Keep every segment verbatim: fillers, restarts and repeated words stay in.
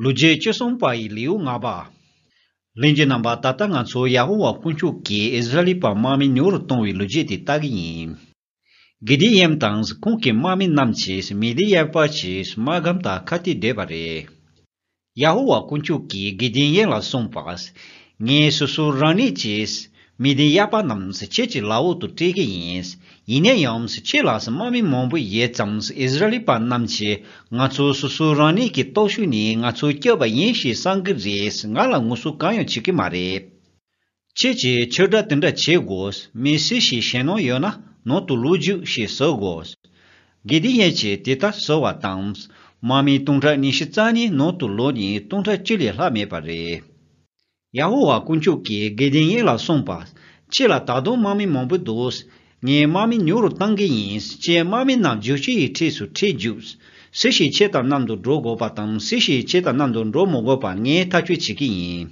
ལོ་རྒྱུས་བཅུ་གསུམ་པ་ཡི་ལེའུ་ལྔ་པ། ལྷན་རྒྱས་རྣམ་པ། ད་ལྟ་ང་ཚོ་ཡ་ཧོ་ཝཱ་དཀོན་མཆོག་གིས་ཨིསི་ར་ཨེལ་པ་དམག་མི་ཉུང་རུ་གཏོང་བའི་ལོ་རྒྱུས་དེ་ལྟ་གི་ཡིན། གི་དི་ཡེམ་དང་ཁོང་གི་དམག་མི་རྣམས་ཀྱིས་མི་དི་ཡཱ་པ་ཆེ་དམག་སྒམ་དང་ཁ་གཏད་བསྡད་པ་རེད། ཡ་ཧོ་ཝཱ་དཀོན་མཆོག་གིས་གི་དི་ཡེམ་ལ་གསུངས་པ། ངས་སོ་སོ་རང་ཉིད་ཀྱིས་མི་དི་ཡཱ་པ་རྣམས་ཁྱེད་ཀྱི་ལག་འོག་ཏུ་སྤྲད་ཀྱི་ཡིན། ཡིན་ན་ཡང་ཁྱེད་ལ་དམག་མི་མང་པོ་ཡོད་ཙང་ཨིསི་ར་ཨེལ་པ་རྣམས་ཀྱིས་ང་ཚོ་སོ་སོ་རང་ཉིད་ཀྱི་སྟོབས་ཤུགས་ནས་ང་ཚོ་སྐྱོབ་པ་ཡིན་ཞེས་བསམ་གྱི་རེད། ང་ལ་ངོ་སོ་གང་ཡང་བྱེད་ཀྱི་མ་རེད། ཁྱེད་ཀྱིས་ཕྱིར་བསྒྲགས་དེ་འདྲ་བྱེད་དགོས། མི་སུ་ཞིག་ཞེད་སྣང་ཡོད་ན་ནང་དུ་ལོག་རྒྱུགས་ཞེས་ཟེར་དགོས། གི་དི་ཡེམ་གྱིས་དེ་ལྟར་ཟེར་བ་དང་། དམག་མི་སྟོང་ཕྲག་ཉི་ཤུ་རྩ་གཉིས་ནང་དུ་ལོག་ནས་སྟོང་ཕྲག་བཅུ་ལས་ལྷག་མེད་པ་རེད། ཡ་ཧོ་ཝཱ་དཀོན་མཆོག་གིས་གི་དི་ཡེམ་ལ་གསུངས་པ། ཁྱེད་ལ་ད་དུང་དམག་མི་མང་པོ་འདུག་ངས་དམག་མི་ཉུང་རུ་བཏང་གི་ཡིན། ཁྱེད་དམག་མི་རྣམས་རྒྱུག་ཆུ་ཡི་འཁྲིས་སུ་ཁྲིད་རྒྱུགས། སུ་ཞིག་ཁྱེད་དང་མཉམ་དུ་འགྲོ་དགོས་པ་དང་སུ་ཞིག་ཁྱེད་དང་མཉམ་དུ་འགྲོ་མི་དགོས་པ་ངས་ཐག་གཅོད་བྱེད་ཀྱི་ཡིན།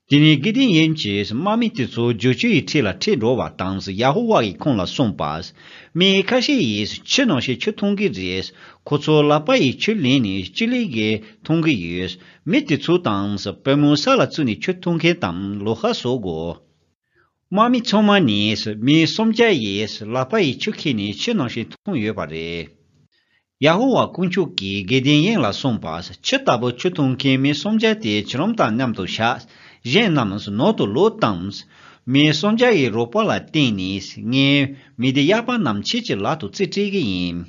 དེ་ནས་གི་དི་ཡེམ་གྱིས་དམག་མི་དེ་ཚོ་རྒྱུག་ཆུ་ཡི་འཁྲིས་ལ་ཁྲིད་འགྲོ་བ་དང་ཡ་ཧོ་ཝཱ་ཡིས་ཁོང་ལ་གསུངས་པ། མི་ཁ་ཤས་ཡིས་ཆུ་ནང་བཞིན་ཆུ་འཐུང་གི་རེད། ཁོ་ཚོ་ལག་པ་ཡིས་ཆུ་ལེན་ནས་སྤྱི་ལེ་བརྒྱད་འཐུང་གི་ཡོད། མི་དེ་ཚོ་དང་པུས་མོ་ས་ལ་བཙུགས་ནས་ཆུ་འཐུང་མཁན་དང་ལོ་ཧ་བཟོ་དགོས། དམག་མི་ཚང་མ་ནས་མི་སུམ་བརྒྱ་ཡིས་ལག་པ་ཡིས་ཆུ་ཁྱེར་ནས་ཆུ་ནང་བཞིན་འཐུང་ཡོད་པ་རེད། ཡ་ཧོ་ཝཱ་དཀོན་མཆོག་གིས་གི་དི་ཡེམ་ལ་གསུངས་པ། ཁྱི་ལྟ་བུ་ཆུ་འཐུང་མཁན་མི་སུམ་བརྒྱ་དེ་ཁྱེད་རང་དང་མཉམ་དུ་བཞག་གཞན་རྣམས་ནང་དུ་ལོག་དང་། མི་སུམ་བརྒྱ་ཡི་རོགས་པ་ལ་བརྟེན་ནས་ངས་མི་དི་ཡཱ་པ་རྣམས་ཁྱེད་ཀྱི་ལག་ཏུ་རྩིས་སྤྲད་ཀྱི་ཡིན།